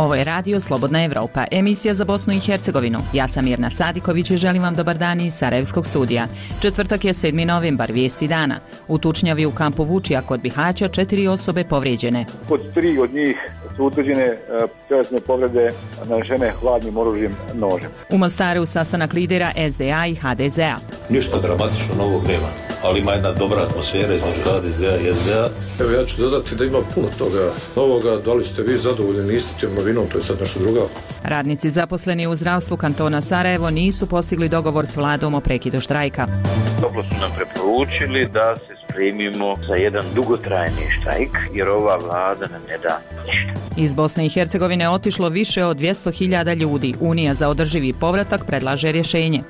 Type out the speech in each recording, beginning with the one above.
Ovo je Radio Slobodna Evropa, emisija za Bosnu i Hercegovinu. Ja sam Mirna Sadiković i želim vam dobar dan iz Sarajevskog studija. Četvrtak je 7. novembar, vijesti dana. U tučnjavi u kampu Vučija kod Bihaća 4 osobe povrijeđene. Kod 3 od njih su utvrđene tjelesne povrede nanesene hladnim oružjem, nožem. U Mostaru sastanak lidera SDA i HDZ-a. Ništa dramatično novog nema, ali ima jedna dobra atmosfera između HDZ-a i SDA. Evo, ja ću dodati da ima puno toga novoga. Da li ste vi zadovoljni, niste tim novinom, to je sad nešto drugo. Radnici zaposleni u zdravstvu kantona Sarajevo nisu postigli dogovor s vladom o prekidu štrajka. Toplo su nam preporučili da se spremimo za jedan dugotrajni štrajk, jer ova vlada nam ne da ništa. Iz Bosne i Hercegovine otišlo više od 200.000 ljudi. Unija za održivi povratak predlaže rješenje.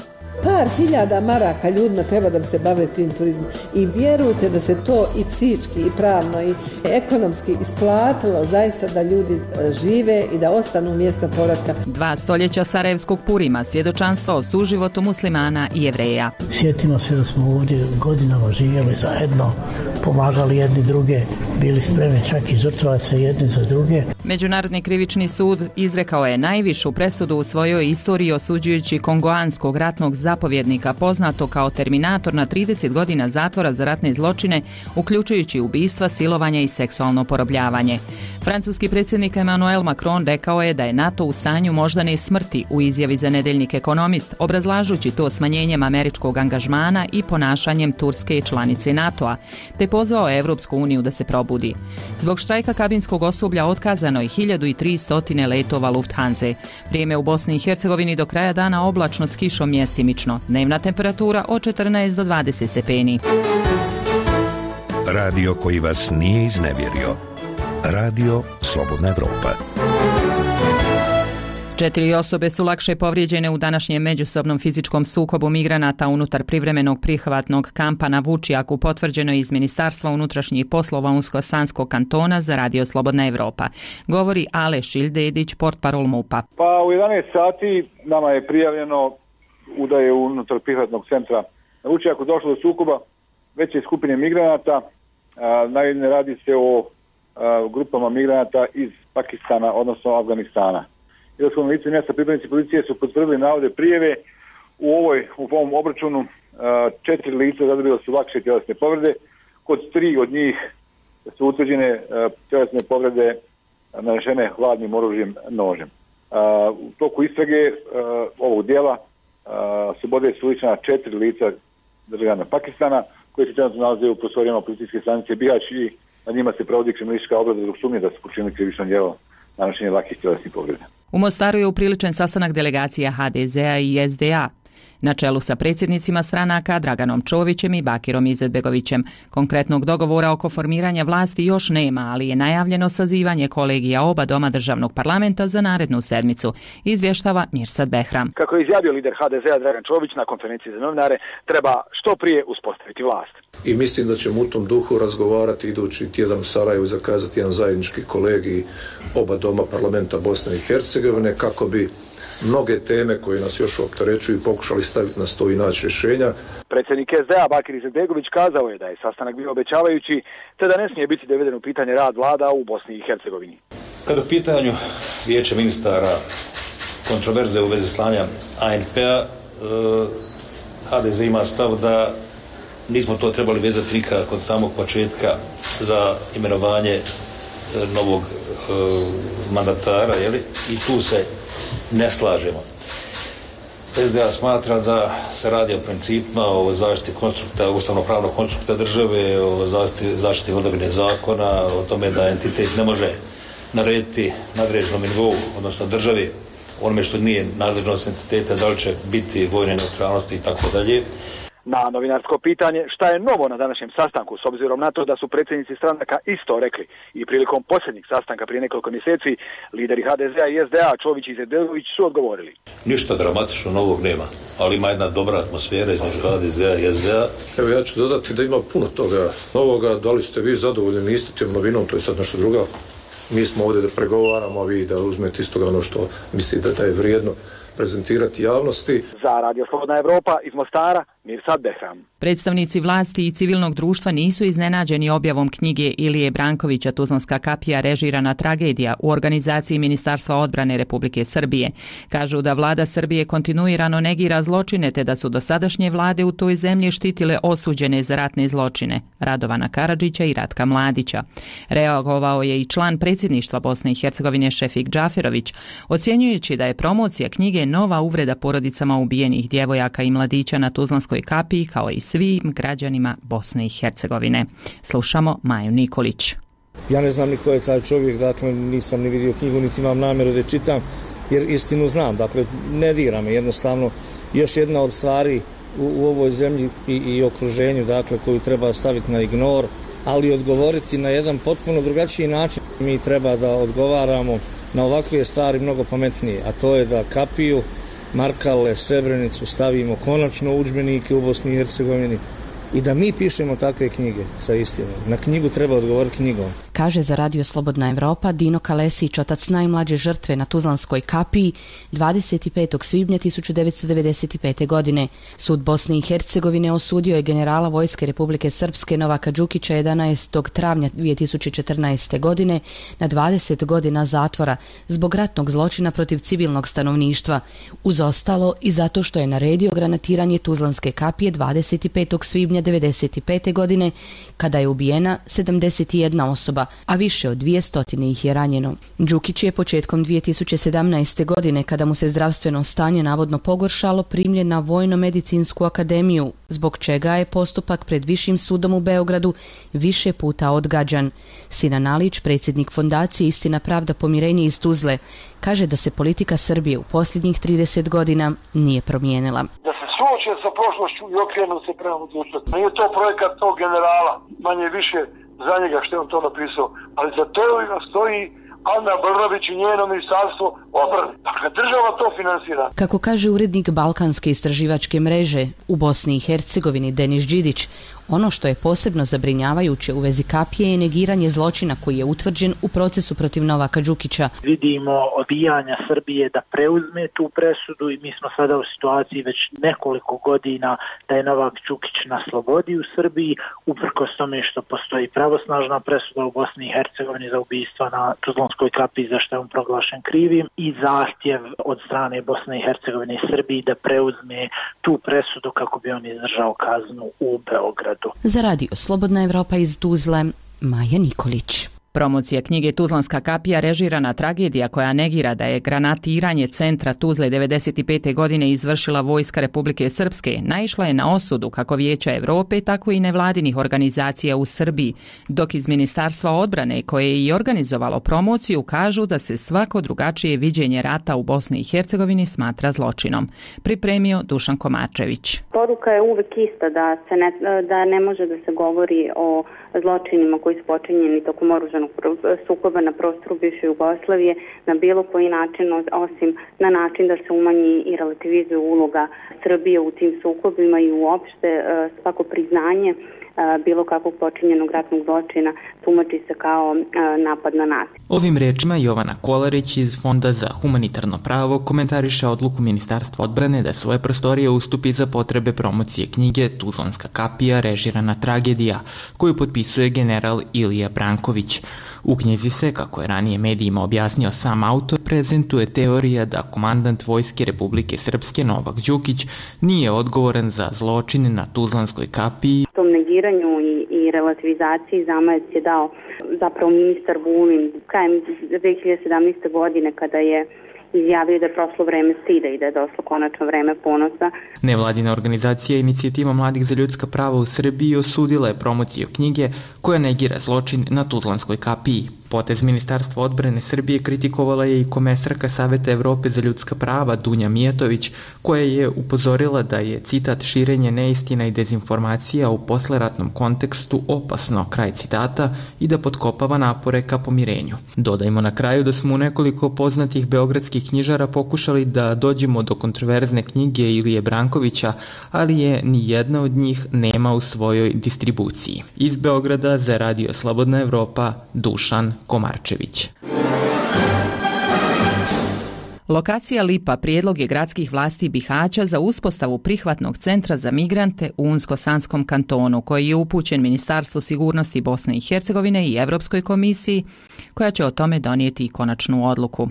Par hiljada maraka ljudima treba da se bave tim turizmom i vjerujte da se to i psihički i pravno i ekonomski isplatilo zaista da ljudi žive i da ostanu u mjesta povratka. 2 stoljeća Sarajevskog Purima, svjedočanstvo o suživotu muslimana i Jevreja. Sjetimo se da smo ovdje godinama živjeli zajedno, pomagali jedni druge, bili spremni čak i žrtvovati se jedni za druge. Međunarodni krivični sud izrekao je najvišu presudu u svojoj istoriji osuđujući kongoanskog ratnog zapovjednika poznato kao Terminator na 30 godina zatvora za ratne zločine, uključujući ubistva, silovanje i seksualno porobljavanje. Francuski predsjednik Emmanuel Macron rekao je da je NATO u stanju moždane smrti u izjavi za nedeljnik Ekonomist, obrazlažući to smanjenjem američkog angažmana i ponašanjem Turske članice NATO-a, te pozvao Evropsku uniju da se probudi. Zbog štrajka kabinskog osoblja otkazano je 1300 letova Lufthansa. Vrijeme u Bosni i Hercegovini do kraja dana oblačno s kišom mjestimično. Dnevna temperatura od 14 do 20 stepeni. Radio koji vas nije iznevjerio. Radio Slobodna Evropa. 4 osobe su lakše povrijeđene u današnjem međusobnom fizičkom sukobu migranata unutar privremenog prihvatnog kampa na Vučijaku, potvrđeno iz Ministarstva unutrašnjih poslova Unsko-Sanskog kantona za Radio Slobodna Evropa. Govori Aleš Ildedić, portparol MUP-a. Pa u 11 sati nama je prijavljeno da je unutar prihvatnog centra na Vučijaku došlo do sukoba veće skupine migranata. Naime, radi se o grupama migranata iz Pakistana, odnosno Afganistana. Ilaskom lice mjesta pripadnici policije su potvrdili navode prijeve. U ovom obračunu 4 lica zadobila su lakše tjelesne povrede. Kod 3 od njih su utvrđene tjelesne povrede nanesene hladnim oružjem, nožem. U toku istrage ovog dijela slobode su uličena 4 lica državljana Pakistana koji se trenutno nalaze u prostorijama policijske stanice Bihać i na njima se provodi kriminalistička obrada zbog sumnje da su počinili krivično djelo nanošenje lakih tjelesnih povreda. U Mostaru je upriličen sastanak delegacija HDZ-a i SDA na čelu sa predsjednicima stranaka Draganom Čovićem i Bakirom Izetbegovićem. Konkretnog dogovora oko formiranja vlasti još nema, ali je najavljeno sazivanje kolegija oba doma državnog parlamenta za narednu sedmicu, izvještava Mirsad Behram. Kako je izjavio lider HDZ-a Dragan Čović na konferenciji za novinare, treba što prije uspostaviti vlast. I mislim da ćemo u tom duhu razgovarati idući tjedan u Sarajevu i zakazati jedan zajednički kolegij oba doma parlamenta Bosne i Hercegovine kako bi mnoge teme koje nas još opterećuju pokušali staviti na sto i naći rješenja. Predsjednik SDA Bakir Izetbegović kazao je da je sastanak bio obećavajući, te da ne smije biti doveden u pitanje rad vlada u Bosni i Hercegovini. Kada u pitanju vijeća ministara kontroverze u vezi slanja ANP-a, HDZ ima stav da nismo to trebali vezati nikako od samog početka za imenovanje novog mandatara, jeli? I tu se ne slažemo. SDA smatra da se radi o principima, o zaštiti konstrukta, ustavno-pravnog konstrukta države, o zaštiti vladavine zakona, o tome da entitet ne može narediti nadređenom nivou, odnosno državi, onome što nije nadležnost entiteta, da li će biti vojne neutralnosti i tako dalje. Na novinarsko pitanje šta je novo na današnjem sastanku, s obzirom na to da su predsjednici stranaka isto rekli i prilikom posljednjeg sastanka prije nekoliko mjeseci, lideri HDZ-a i SDA Čović i Izetbegović su odgovorili. Ništa dramatično novog nema, ali ima jedna dobra atmosfera između HDZ-a i SDA. Evo, ja ću dodati da ima puno toga novoga. Da li ste vi zadovoljni, niste tim novinom, to je sad nešto drugo. Mi smo ovdje da pregovaramo, a vi da uzmete iz toga ono što mislite da je vrijedno prezentirati javnosti. Za Radio Slobodna Evropa iz Mostara, Mirsad Behram. Predstavnici vlasti i civilnog društva nisu iznenađeni objavom knjige Ilije Brankovića Tuzlanska kapija režirana tragedija u organizaciji Ministarstva odbrane Republike Srbije. Kažu da vlada Srbije kontinuirano negira zločine te da su dosadašnje vlade u toj zemlji štitile osuđene za ratne zločine Radovana Karadžića i Ratka Mladića. Reagovao je i član predsjedništva Bosne i Hercegovine Šefik Džaferović, ocjenjujući da je promocija knjige nova uvreda porodicama ubijenih djevojaka i mladića na Tuzlanskoj kapiji kao i svim građanima Bosne i Hercegovine. Slušamo Maju Nikolić. Ja ne znam ni ko je taj čovjek, dakle nisam ni vidio knjigu, niti imam namjeru da je čitam, jer istinu znam, dakle ne dira me jednostavno. Još jedna od stvari u ovoj zemlji i okruženju, dakle koju treba staviti na ignor, ali odgovoriti na jedan potpuno drugačiji način. Mi treba da odgovaramo na ovakve stvari mnogo pametnije, a to je da kapiju, Markale, Srebrenicu stavimo konačno u udžbenike u Bosni i Hercegovini i da mi pišemo takve knjige sa istinom. Na knjigu treba odgovoriti knjigom. Kaže za Radio Slobodna Evropa Dino Kalesić, otac najmlađe žrtve na Tuzlanskoj kapiji 25. svibnja 1995. godine. Sud Bosne i Hercegovine osudio je generala Vojske Republike Srpske Novaka Đukića 11. travnja 2014. godine na 20 godina zatvora zbog ratnog zločina protiv civilnog stanovništva. Uz ostalo i zato što je naredio granatiranje Tuzlanske kapije 25. svibnja 1995. godine kada je ubijena 71 osoba, a više od 200 ih je ranjeno. Đukić je početkom 2017. godine, kada mu se zdravstveno stanje navodno pogoršalo, primljen na Vojno-medicinsku akademiju, zbog čega je postupak pred Višim sudom u Beogradu više puta odgađan. Sinan Nalić, predsjednik fondacije Istina, pravda, pomirenje iz Tuzle, kaže da se politika Srbije u posljednjih 30 godina nije promijenila. Da se suoče sa prošlošću i okrenu se prema budućnosti. Nije to projekat tog generala, manje više za njega što je on to napisao, ali za to stoji Ana Brnabić i njeno ministarstvo odbrane. Dakle, država to finansira. Kako kaže urednik Balkanske istraživačke mreže u Bosni i Hercegovini Denis Đidić, ono što je posebno zabrinjavajuće u vezi kapije je negiranje zločina koji je utvrđen u procesu protiv Novaka Đukića. Vidimo odbijanja Srbije da preuzme tu presudu i mi smo sada u situaciji već nekoliko godina da je Novak Đukić na slobodi u Srbiji, uprkos tome što postoji pravosnažna presuda u Bosni i Hercegovini za ubistva na Tuzlanskoj kapiji za što je on proglašen krivim i zahtjev od strane Bosne i Hercegovine i Srbiji da preuzme tu presudu kako bi on izdržao kaznu u Beogradu. Za Radio Slobodna Evropa iz Tuzle, Maja Nikolić. Promocija knjige Tuzlanska kapija režirana tragedija koja negira da je granatiranje centra Tuzle 1995. godine izvršila Vojska Republike Srpske naišla je na osudu kako Vijeća Evrope, tako i nevladinih organizacija u Srbiji, dok iz Ministarstva odbrane koje je i organizovalo promociju kažu da se svako drugačije viđenje rata u Bosni i Hercegovini smatra zločinom. Pripremio Dušan Komačević. Poruka je uvek ista da ne može da se govori o zločinima koji su počinjeni tokom oružanog sukoba na prostoru bivše Jugoslavije na bilo koji način, osim na način da se umanji i relativizuje uloga Srbije u tim sukobima i uopšte svako priznanje bilo kakvog počinjenog ratnog zločina tumači se kao napad na nas. Ovim rečima Jovana Kolarić iz Fonda za humanitarno pravo komentariše odluku Ministarstva odbrane da svoje prostorije ustupi za potrebe promocije knjige Tuzlanska kapija režirana tragedija, koju potpisuje general Ilija Branković. U knjizi se, kako je ranije medijima objasnio sam autor, prezentuje teorija da komandant Vojske Republike Srpske Novak Đukić nije odgovoran za zločine na Tuzlanskoj kapiji. Tom negiranju i relativizaciji zamajac je dao zapravo ministar Vulin krajem 2017. godine kada je izjavio da je prošlo vreme stida i da je došlo konačno vreme ponosa. Nevladina organizacija Inicijativa mladih za ljudska prava u Srbiji osudila je promociju knjige koja negira zločin na Tuzlanskoj kapiji. Potez Ministarstva odbrane Srbije kritikovala je i komesarka Saveta Evrope za ljudska prava Dunja Mijatović, koja je upozorila da je, citat, širenje neistina i dezinformacija u posleratnom kontekstu opasno, kraj citata, i da potkopava napore ka pomirenju. Dodajmo na kraju da smo u nekoliko poznatih beogradskih knjižara pokušali da dođemo do kontroverzne knjige Ilije Brankovića, ali je ni jedna od njih nema u svojoj distribuciji. Iz Beograda za Radio Slobodna Evropa, Dušan Komarčević. Lokacija Lipa prijedlog je gradskih vlasti Bihaća za uspostavu prihvatnog centra za migrante u Unsko-Sanskom kantonu, koji je upućen Ministarstvu sigurnosti Bosne i Hercegovine i Europskoj komisiji, koja će o tome donijeti i konačnu odluku.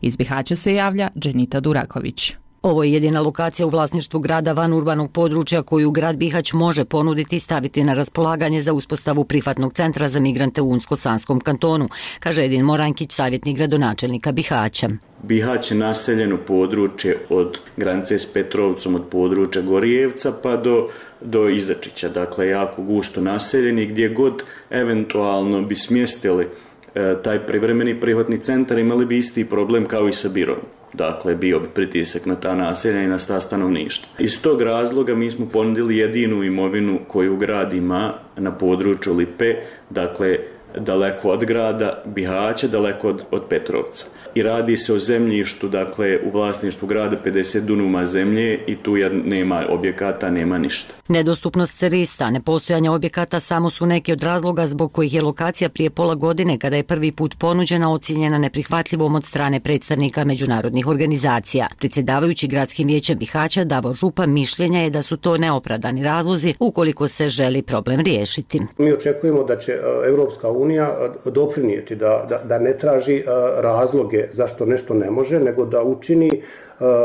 Iz Bihaća se javlja Dženita Duraković. Ovo je jedina lokacija u vlasništvu grada van urbanog područja koju grad Bihać može ponuditi i staviti na raspolaganje za uspostavu prihvatnog centra za migrante u Unsko-Sanskom kantonu, kaže Edin Morankić, savjetnik gradonačelnika Bihaća. Bihać je naseljeno područje od granice s Petrovcom, od područja Gorijevca pa do Izačića, dakle jako gusto naseljeni, gdje god eventualno bi smjestili taj privremeni prihvatni centar imali bi isti problem kao i sa Birom. Dakle, bio bi pritisak na ta naselja i na ta stanovništva. Iz tog razloga mi smo ponudili jedinu imovinu koju grad ima na području Lipe, dakle, daleko od grada Bihaća, daleko od Petrovca. I radi se o zemljištu, dakle, u vlasništvu grada 50 dunuma zemlje i tu nema objekata, nema ništa. Nedostupnost cerista, nepostojanje objekata samo su neki od razloga zbog kojih je lokacija prije pola godine, kada je prvi put ponuđena, ocijenjena neprihvatljivom od strane predstavnika međunarodnih organizacija. Predsjedavajući gradskim vijećem Bihaća Davor Župa mišljenja je da su to neopravdani razlozi ukoliko se želi problem riješiti. Mi očekujemo da će Europska unija doprinijeti da ne traži razloge zašto nešto ne može, nego da učini,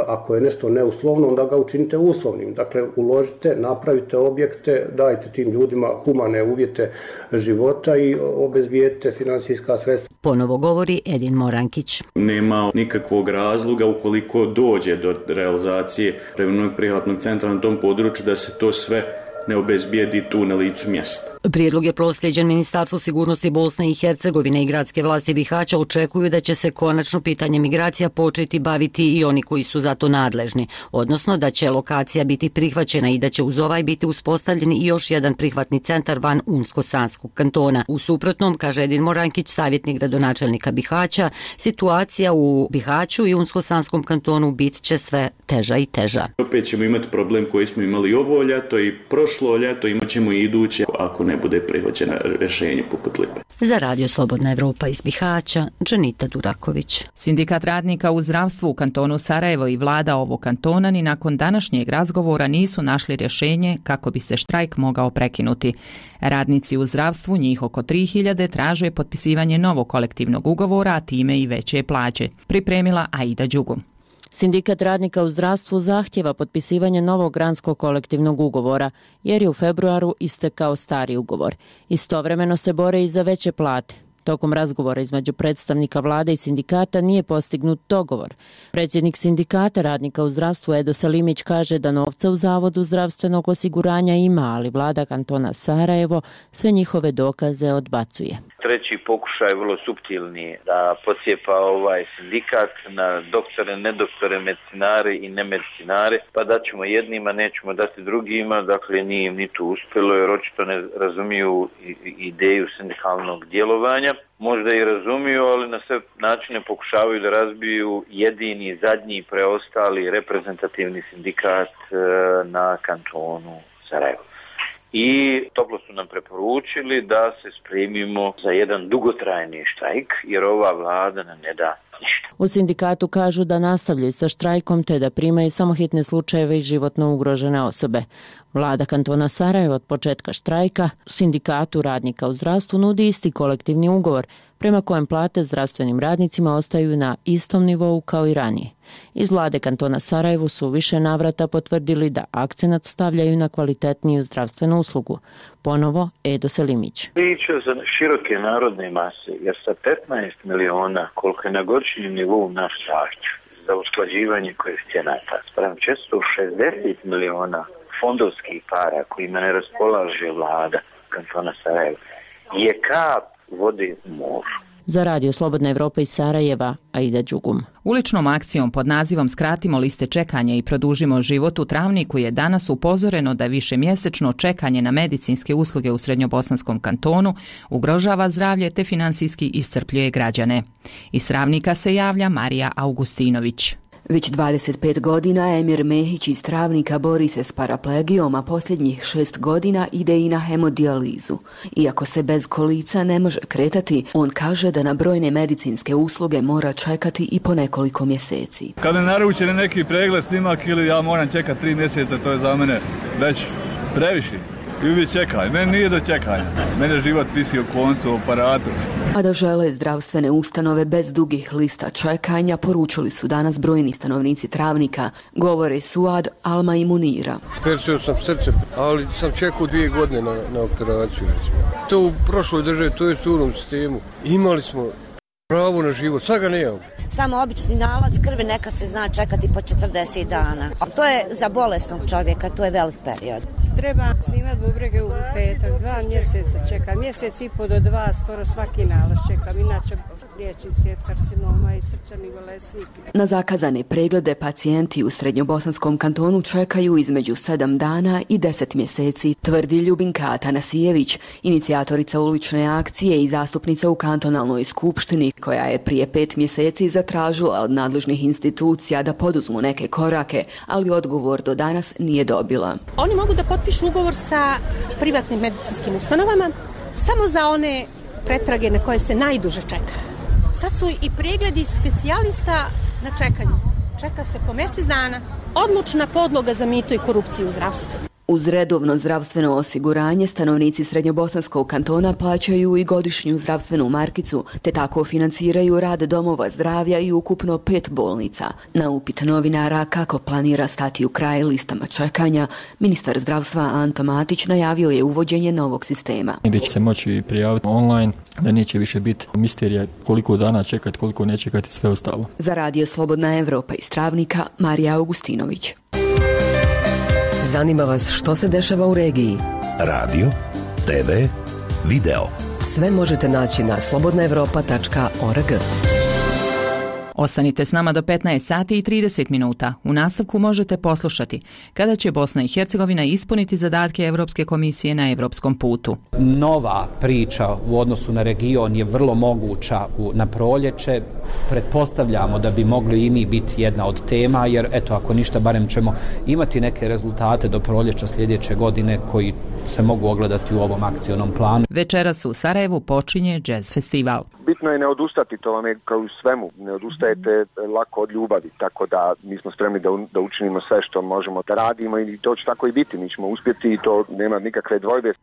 ako je nešto neuslovno, onda ga učinite uslovnim. Dakle, uložite, napravite objekte, dajte tim ljudima humane uvjete života i obezbijedite financijska sredstva. Ponovo govori Edin Morankić. Nema nikakvog razloga ukoliko dođe do realizacije privremenog prihvatnog centra na tom području da se to sve ne obezbijedi tu na licu mjesta. Prijedlog je proslijeđen Ministarstvu sigurnosti Bosne i Hercegovine i gradske vlasti Bihaća očekuju da će se konačno pitanje migracija početi baviti i oni koji su za to nadležni, odnosno da će lokacija biti prihvaćena i da će uz ovaj biti uspostavljen i još jedan prihvatni centar van Unsko-Sanskog kantona. U suprotnom, kaže Edin Morankić, savjetnik gradonačelnika Bihaća, situacija u Bihaću i Unsko-Sanskom kantonu bit će sve teža i teža. Opet ćemo imati problem koji smo imali ovo ljeto i prošlo ljeto, imat ćemo i iduće ako ne bude prihvaćeno rješenje poput Lipe. Za Radio Slobodna Evropa iz Bihaća, Dženita Duraković. Sindikat radnika u zdravstvu u kantonu Sarajevo i vlada ovog kantona ni nakon današnjeg razgovora nisu našli rješenje kako bi se štrajk mogao prekinuti. Radnici u zdravstvu, njih oko 3000, traže potpisivanje novog kolektivnog ugovora, a time i veće plaće. Pripremila Aida Đugum. Sindikat radnika u zdravstvu zahtjeva potpisivanje novog granskog kolektivnog ugovora, jer je u februaru istekao stari ugovor. Istovremeno se bore i za veće plate. Tokom razgovora između predstavnika vlade i sindikata nije postignut dogovor. Predsjednik sindikata radnika u zdravstvu Edo Salimić kaže da novca u Zavodu zdravstvenog osiguranja ima, ali vlada kantona Sarajevo sve njihove dokaze odbacuje. Treći pokušaj je vrlo suptilni da posjepa ovaj sindikat na doktore, nedoktore, medicinare i nemedicinare, pa daćemo jednima, nećemo dati drugima, dakle nije im ni to uspjelo jer očito ne razumiju ideju sindikalnog djelovanja. Možda i razumiju, ali na sve načine pokušavaju da razbiju jedini, zadnji, preostali reprezentativni sindikat na kantonu Sarajevo. I toplo su nam preporučili da se spremimo za jedan dugotrajni štrajk, jer ova vlada nam ne da ništa. U sindikatu kažu da nastavljaju sa štrajkom te da primaju samo hitne slučajeve i životno ugrožene osobe. Vlada kantona Sarajevo od početka štrajka sindikatu radnika u zdravstvu nudi isti kolektivni ugovor, prema kojem plate zdravstvenim radnicima ostaju na istom nivou kao i ranije. Iz vlade kantona Sarajevo su više navrata potvrdili da akcenat stavljaju na kvalitetniju zdravstvenu uslugu. Ponovo Edo Selimić. Priča za široke narodne mase, jer sa 15 miliona koliko je na godišnjem nivou naš zahtjev za usklađivanje koeficijenata, sprem 460 miliona fondovskih para kojima ne raspolaže vlada kantona Sarajevo, je kap vode u moru. Za Radio Slobodna Evropa iz Sarajeva, Aida Đugum. Uličnom akcijom pod nazivom Skratimo liste čekanja i produžimo život u Travniku je danas upozoreno da višemjesečno čekanje na medicinske usluge u Srednjobosanskom kantonu ugrožava zdravlje te finansijski iscrpljuje građane. Iz Travnika se javlja Marija Augustinović. Već 25 godina Emir Mehić iz Travnika bori se s paraplegijom, a posljednjih 6 godina ide i na hemodijalizu. Iako se bez kolica ne može kretati, on kaže da na brojne medicinske usluge mora čekati i po nekoliko mjeseci. Kad ne naručene neki pregled, snimak ili ja moram čekati 3 mjeseca, to je za mene već previše. I uvijek čekaj, meni nije do čekanja. Mene život visi o koncu, o aparatu. A da žele zdravstvene ustanove bez dugih lista čekanja, poručili su danas brojni stanovnici Travnika, govore Suad, Alma i Munira. Persio sam srce, ali sam čekao 2 godine na operaciju. To u prošloj državi, to je u onom sistemu. Imali smo pravo na život, sad ga nemamo. Samo obični nalaz krvi neka se zna čekati po 40 dana. To je za bolesnog čovjeka, to je velik period. Treba snimati bubrege u petak, 2 mjeseca čekam, mjesec i po do 2, skoro svaki nalaz čekam, inače liječnici od karcinoma i srčani bolesnik. Na zakazane preglede pacijenti u Srednjobosanskom kantonu čekaju između 7 dana i 10 mjeseci, tvrdi Ljubinka Atanasijević, inicijatorica ulične akcije i zastupnica u kantonalnoj skupštini, koja je prije 5 mjeseci zatražila od nadležnih institucija da poduzmu neke korake, ali odgovor do danas nije dobila. Oni mogu da potpišu ugovor sa privatnim medicinskim ustanovama samo za one pretrage na koje se najduže čeka. Sad su i pregledi specijalista na čekanju. Čeka se po mjesec dana. Odlučna podloga za mito i korupciju u zdravstvu. Uz redovno zdravstveno osiguranje, stanovnici Srednjobosanskog kantona plaćaju i godišnju zdravstvenu markicu, te tako financiraju rad domova zdravlja i ukupno 5 bolnica. Na upit novinara kako planira stati u kraj listama čekanja, ministar zdravstva Anto Matić najavio je uvođenje novog sistema. Gdje će se moći prijaviti online, da neće više biti misterija koliko dana čekati, koliko ne čekati, sve ostalo. Za Radio Slobodna Evropa iz Travnika, Marija Augustinović. Zanima vas što se dešava u regiji? Radio, TV, video. Sve možete naći na slobodnaevropa.org. Ostanite s nama do 15 sati i 30 minuta. U nastavku možete poslušati kada će Bosna i Hercegovina ispuniti zadatke Europske komisije na europskom putu. Nova priča u odnosu na region je vrlo moguća na proljeće. Pretpostavljamo da bi mogli i mi biti jedna od tema, jer eto, ako ništa, barem ćemo imati neke rezultate do proljeća sljedeće godine koji se mogu ogledati u ovom akcionom planu. Večeras u Sarajevu počinje jazz festival. Bitno je ne odustati, to vam je kao u svemu. Ne odustajete lako od ljubavi, tako da mi smo spremni da učinimo sve što možemo da radimo i to će tako i biti. Mi ćemo uspjeti i to nema nikakve dvojbe.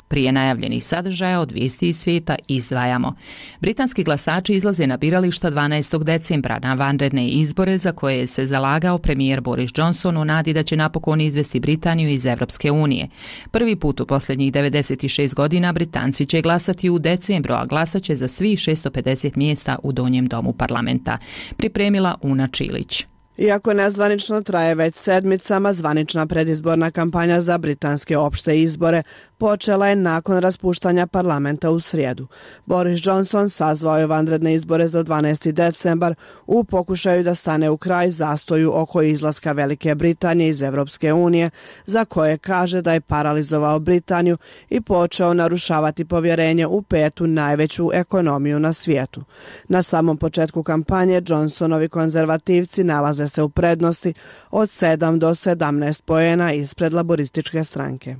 Prije najavljenih sadržaja od vijesti iz svijeta izdvajamo. Britanski glasači izlaze na birališta 12. decembra na vanredne izbore za koje se zalagao premijer Boris Johnson u nadi da će napokon izvesti Britaniju iz Evropske unije. Prvi put u posljednjih 96 godina Britanci će glasati u decembru, a glasat će za svih 650 mjesta u donjem domu parlamenta. Pripremila Una Čilić. Iako nezvanično traje već sedmicama, zvanična predizborna kampanja za britanske opšte izbore počela je nakon raspuštanja parlamenta u srijedu. Boris Johnson sazvao je vanredne izbore za 12. decembar u pokušaju da stane u kraj zastoju oko izlaska Velike Britanije iz Evropske unije, za koje kaže da je paralizovao Britaniju i počeo narušavati povjerenje u petu najveću ekonomiju na svijetu. Na samom početku kampanje Johnsonovi konzervativci nalaze se u prednosti od 7 do 17 poena ispred laborističke stranke.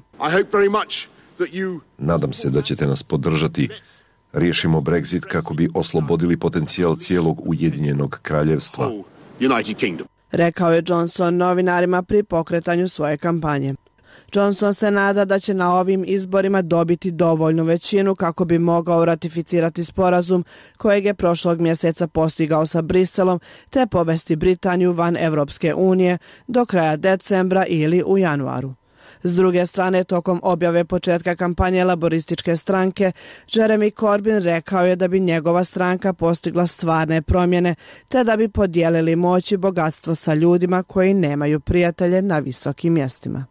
Nadam se da ćete nas podržati. Riješimo Brexit kako bi oslobodili potencijal cijelog Ujedinjenog kraljevstva. Rekao je Johnson novinarima pri pokretanju svoje kampanje. Johnson se nada da će na ovim izborima dobiti dovoljnu većinu kako bi mogao ratificirati sporazum kojeg je prošlog mjeseca postigao sa Briselom te povesti Britaniju van Evropske unije do kraja decembra ili u januaru. S druge strane, tokom objave početka kampanje laborističke stranke, Jeremy Corbyn rekao je da bi njegova stranka postigla stvarne promjene te da bi podijelili moć i bogatstvo sa ljudima koji nemaju prijatelje na visokim mjestima.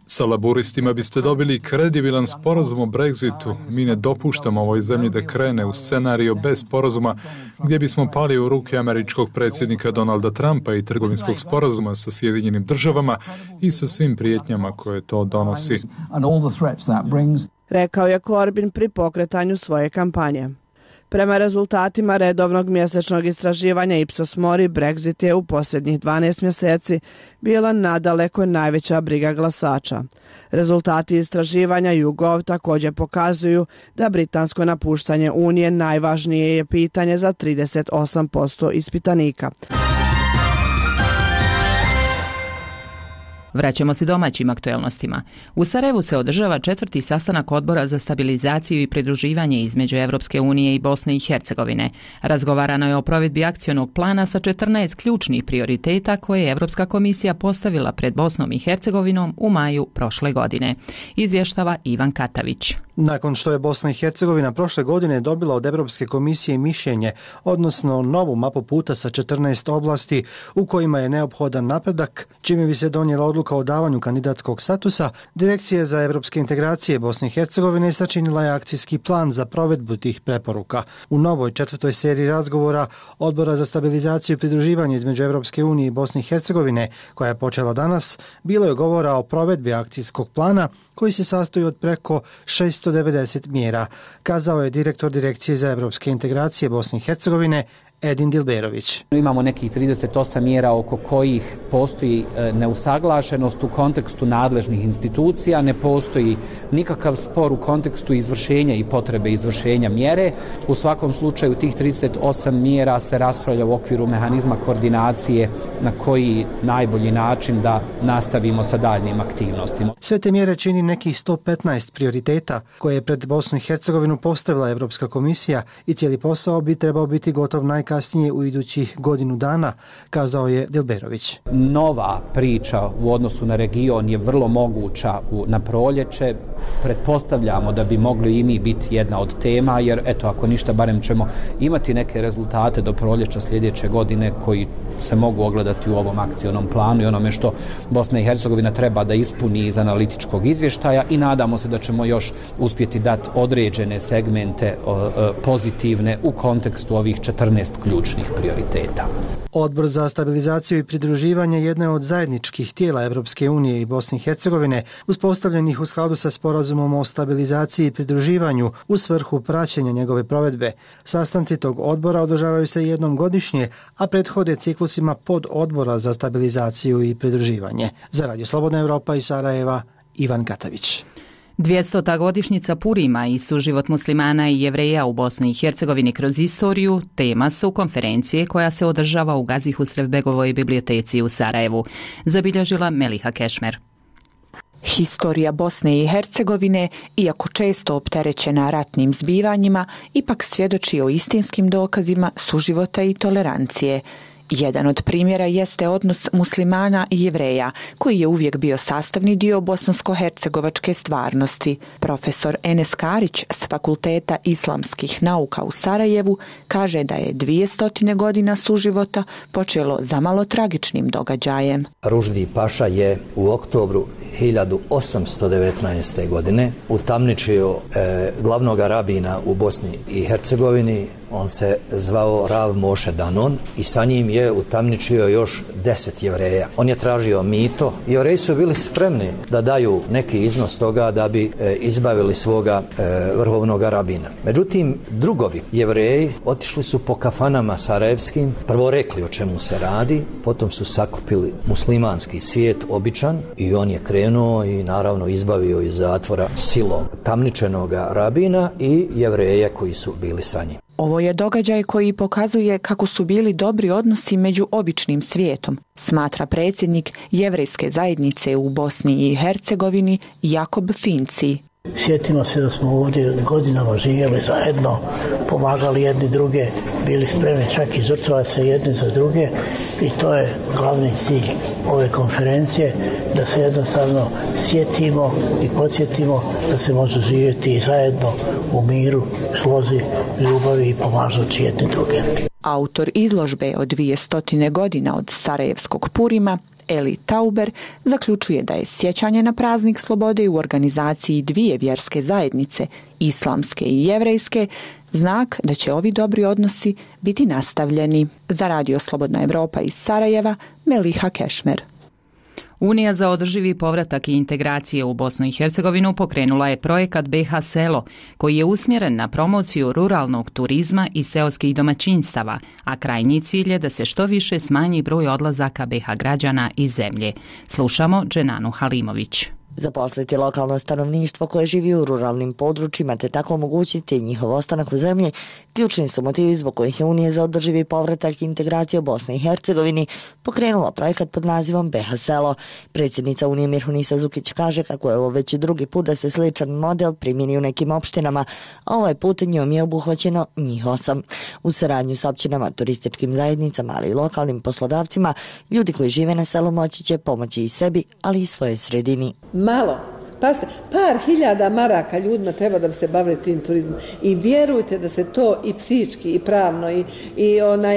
Sa laboristima biste dobili kredibilan sporazum o Brexitu. Mi ne dopuštamo ovoj zemlji da krene u scenario bez sporazuma gdje bismo pali u ruke američkog predsjednika Donalda Trumpa i trgovinskog sporazuma sa Sjedinjenim državama i sa svim prijetnjama koje to donosi. Rekao je Corbyn pri pokretanju svoje kampanje. Prema rezultatima redovnog mjesečnog istraživanja Ipsos Mori, Brexit je u posljednjih 12 mjeseci bila nadaleko najveća briga glasača. Rezultati istraživanja YouGov također pokazuju da britansko napuštanje Unije najvažnije je pitanje za 38% ispitanika. Vraćamo se domaćim aktuelnostima. U Sarajevu se održava 4. sastanak Odbora za stabilizaciju i pridruživanje između Europske unije i Bosne i Hercegovine. Razgovarano je o provedbi akcionog plana sa 14 ključnih prioriteta koje je Europska komisija postavila pred Bosnom i Hercegovinom u maju prošle godine. Izvještava Ivan Katavić. Nakon što je Bosna i Hercegovina prošle godine dobila od Europske komisije mišljenje, odnosno novu mapu puta sa 14 oblasti u kojima je neophodan napredak, čime bi se donijela odluka o davanju kandidatskog statusa, Direkcija za europske integracije Bosne i Hercegovine sačinila je akcijski plan za provedbu tih preporuka. U novoj 4. seriji razgovora Odbora za stabilizaciju i pridruživanje između Europske unije i Bosne i Hercegovine, koja je počela danas, bilo je govora o provedbi akcijskog plana koji se sastoji od preko 690 mjera, kazao je direktor Direkcije za europske integracije Bosne i Hercegovine Edin Dilberović. Imamo nekih 38 mjera oko kojih postoji neusaglašenost u kontekstu nadležnih institucija, ne postoji nikakav spor u kontekstu izvršenja i potrebe izvršenja mjere. U svakom slučaju tih 38 mjera se raspravlja u okviru mehanizma koordinacije na koji najbolji način da nastavimo sa daljnim aktivnostima. Sve te mjere čini nekih 115 prioriteta koje je pred Bosnu i Hercegovinu postavila Europska komisija i cijeli posao bi trebao biti gotov kasnije u idućih godinu dana, kazao je Dilberović. Nova priča u odnosu na region je vrlo moguća na proljeće. Pretpostavljamo da bi mogli i mi biti jedna od tema, jer eto, ako ništa, barem ćemo imati neke rezultate do proljeća sljedeće godine koji se mogu ogledati u ovom akcionom planu i onome što Bosna i Hercegovina treba da ispuni iz analitičkog izvještaja i nadamo se da ćemo još uspjeti dati određene segmente pozitivne u kontekstu ovih 14 ključnih prioriteta. Odbor za stabilizaciju i pridruživanje jedne od zajedničkih tijela Europske unije i Bosne i Hercegovine, uspostavljenih u skladu sa sporazumom o stabilizaciji i pridruživanju u svrhu praćenja njegove provedbe. Sastanci tog odbora održavaju se jednom godišnje, a prethode ciklusima pod odbora za stabilizaciju i pridruživanje. Za Radio Slobodna Evropa iz Sarajeva, Ivan Katavić. 200. godišnjica Purima i suživot muslimana i Jevreja u Bosni i Hercegovini kroz istoriju tema su konferencije koja se održava u Gazi Husrevbegovoj biblioteci u Sarajevu, zabilježila Meliha Kešmer. Historija Bosne i Hercegovine, iako često opterećena ratnim zbivanjima, ipak svjedoči o istinskim dokazima suživota i tolerancije. Jedan od primjera jeste odnos muslimana i Jevreja, koji je uvijek bio sastavni dio bosansko-hercegovačke stvarnosti. Profesor Enes Karić s Fakulteta islamskih nauka u Sarajevu kaže da je 200 godina suživota počelo zamalo tragičnim događajem. Ruždi Paša je u oktobru 1819. godine utamničio glavnog rabina u Bosni i Hercegovini. On se zvao Rav Moše Danon i sa njim je utamničio još 10 Jevreja. On je tražio mito. Jevreji su bili spremni da daju neki iznos toga da bi izbavili svoga vrhovnog rabina. Međutim, drugovi Jevreji otišli su po kafanama sarajevskim, prvo rekli o čemu se radi, potom su sakupili muslimanski svijet običan i on je krenuo i naravno izbavio iz zatvora silom tamničenog rabina i Jevreje koji su bili sa njim. Ovo je događaj koji pokazuje kako su bili dobri odnosi među običnim svijetom, smatra predsjednik jevrejske zajednice u Bosni i Hercegovini Jakob Finci. Sjetimo se da smo ovdje godinama živjeli zajedno, pomagali jedni druge, bili spremni čak i žrtvovati se jedni za druge i to je glavni cilj ove konferencije, da se jednostavno sjetimo i podsjetimo da se može živjeti zajedno u miru, slozi, ljubavi i pomažući jedni druge. Autor izložbe od 200 godina od Sarajevskog Purima, Eli Tauber, zaključuje da je sjećanje na praznik slobode u organizaciji dvije vjerske zajednice, islamske i jevrejske, znak da će ovi dobri odnosi biti nastavljeni. Za Radio Slobodna Evropa iz Sarajeva, Meliha Kešmer. Unija za održivi povratak i integracije u Bosnu i Hercegovinu pokrenula je projekat BH Selo, koji je usmjeren na promociju ruralnog turizma i seoskih domaćinstava, a krajnji cilj je da se što više smanji broj odlazaka BH građana iz zemlje. Slušamo Dženanu Halimović. Zaposliti lokalno stanovništvo koje živi u ruralnim područjima te tako omogućiti njihov ostanak u zemlji, ključni su motivi zbog kojih je Unija za održivi povratak i integraciju u Bosni i Hercegovini pokrenula projekat pod nazivom BH Selo. Predsjednica Unije Mirhunisa Zukić kaže kako je ovo već drugi put da se sličan model primjeni u nekim opštinama, a ovaj put njom je obuhvaćeno njih 8. U saradnju s općinama, turističkim zajednicama, ali i lokalnim poslodavcima, ljudi koji žive na selu moći će pomoći i sebi, ali i svojoj sredini. Malo. Pazite, par hiljada maraka ljudima treba da bi se bavili tim turizmom i vjerujte da se to i psihički i pravno i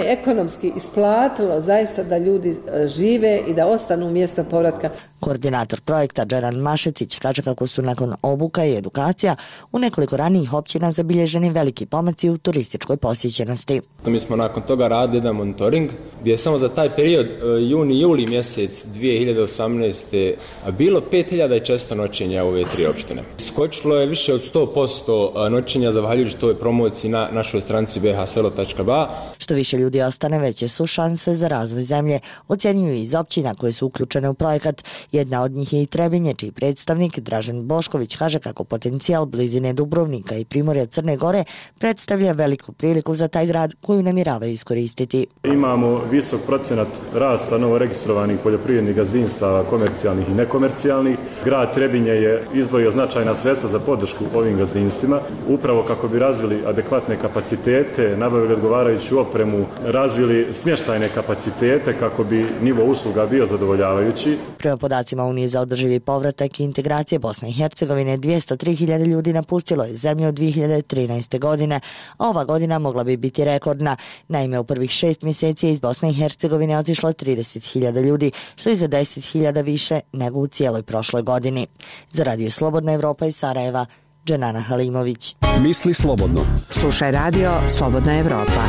ekonomski isplatilo zaista da ljudi žive i da ostanu u mjestu povratka. Koordinator projekta Džeran Mašetić kaže kako su nakon obuka i edukacija u nekoliko ranijih općina zabilježeni veliki pomaci u turističkoj posjećenosti. Mi smo nakon toga radili jedan monitoring gdje je samo za taj period juni-juli mjesec 2018. bilo 5400 noćenja u ove 3 opštine. Skočilo je više od 100% noćenja zahvaljujući toj promociji na našoj stranici bhselo.ba. Što više ljudi ostane, veće su šanse za razvoj zemlje, ocjenjuju iz općina koje su uključene u projekat. Jedna od njih je i Trebinje, čiji predstavnik Dražen Bošković kaže kako potencijal blizine Dubrovnika i Primorja Crne Gore predstavlja veliku priliku za taj grad koju namjeravaju iskoristiti. Imamo visok procenat rasta novoregistrovanih poljoprivrednih gazdinstava, komercijalnih i nekomercijalnih. Grad Trebinje je izdvojio značajna sredstva za podršku ovim gazdinstvima, upravo kako bi razvili adekvatne kapacitete, nabavili odgovarajuću opremu, razvili smještajne kapacitete kako bi nivo usluga bio zadovoljavajući. Prema podacima Unije za održivi povratak i integracije Bosne i Hercegovine, 203.000 ljudi napustilo je zemlju od 2013. godine, a ova godina mogla bi biti rekordna. Naime, u prvih 6 mjeseci iz Bosne i Hercegovine otišlo 30.000 ljudi, što je za 10.000 više nego u cijeloj prošloj godini. Za Radio Slobodna Evropa iz Sarajeva, Dženana Halimović. Misli slobodno. Slušaj Radio Slobodna Evropa.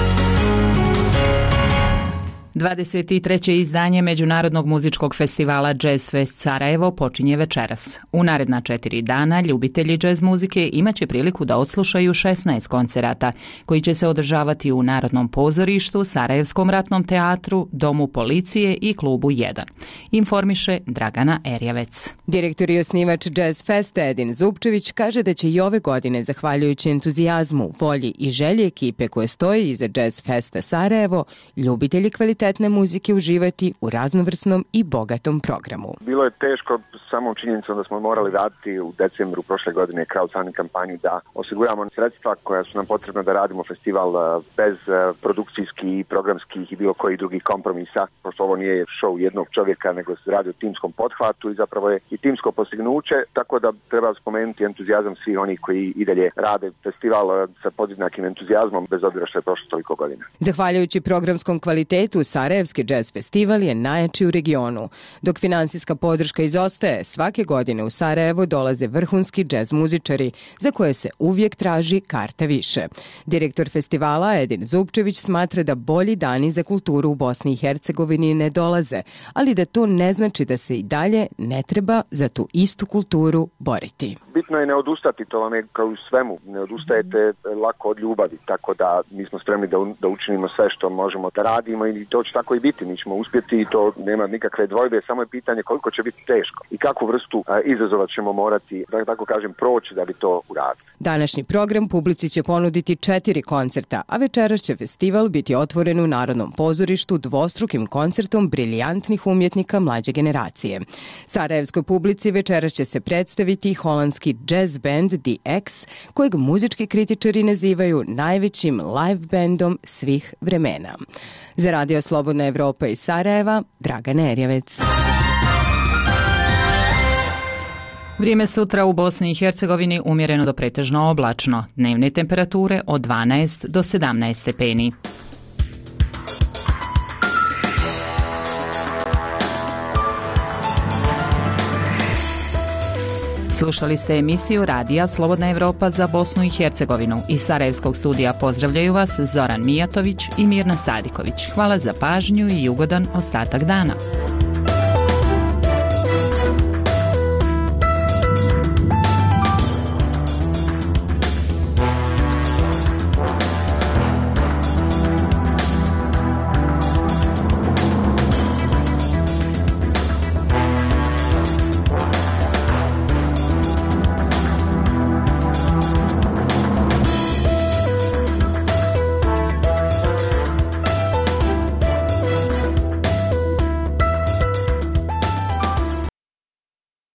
23. izdanje Međunarodnog muzičkog festivala Jazz Fest Sarajevo počinje večeras. U naredna 4 dana ljubitelji jazz muzike imaće priliku da odslušaju 16 koncerata koji će se održavati u Narodnom pozorištu, Sarajevskom ratnom teatru, Domu policije i klubu 1. Informiše Dragana Erjavec. Direktor i osnivač Jazz Festa Edin Zupčević kaže da će i ove godine, zahvaljujući entuzijazmu, volji i želji ekipe koje stoji iza Jazz Festa Sarajevo, ljubitelji kvalitetne muzike uživati u raznovrsnom i bogatom programu. Bilo je teško samom činjenicom da smo morali raditi u decembru prošle godine crowdfunding kampanju da osiguramo sredstva koja su nam potrebna da radimo festival bez produkcijskih i programskih i bilo kojih drugih kompromisa, pošto ovo nije show jednog čovjeka, nego se radi o timskom pothvatu i zapravo je i timsko postignuće, tako da treba spomenuti entuzijazam svih onih koji i dalje rade festival sa podjednakim entuzijazmom bez obzira što je prošlo toliko godina. Zahvaljujući programskom kvalitetu, Sarajevski jazz festival je najjači u regionu. Dok finansijska podrška izostaje, svake godine u Sarajevo dolaze vrhunski jazz muzičari za koje se uvijek traži karta više. Direktor festivala Edin Zupčević smatra da bolji dani za kulturu u Bosni i Hercegovini ne dolaze, ali da to ne znači da se i dalje ne treba za tu istu kulturu boriti. Bitno je ne odustati, to vam je kao u svemu, ne odustajete lako od ljubavi, tako da mi smo spremni da učinimo sve što možemo da radimo i to će tako i biti, mi ćemo uspjeti i to nema nikakve dvojbe, samo je pitanje koliko će biti teško i kakvu vrstu izazova ćemo morati, da tako kažem, proći da bi to uradili. Današnji program publici će ponuditi 4 koncerta, a večeras će festival biti otvoren u Narodnom pozorištu dvostrukim koncertom briljantnih umjetnika mlađe generacije. Sarajevskoj publici večeras će se predstaviti holandski jazz band The X, kojeg muzički kritičari nazivaju najvećim live bandom svih vremena. Za Radio Slobodna Evropa iz Sarajeva, Dragana Erjavec. Vrijeme sutra u Bosni i Hercegovini umjereno do pretežno oblačno. Dnevne temperature od 12 do 17 stepeni. Slušali ste emisiju Radija Slobodna Evropa za Bosnu i Hercegovinu. Iz Sarajevskog studija pozdravljaju vas Zoran Mijatović i Mirna Sadiković. Hvala za pažnju i ugodan ostatak dana.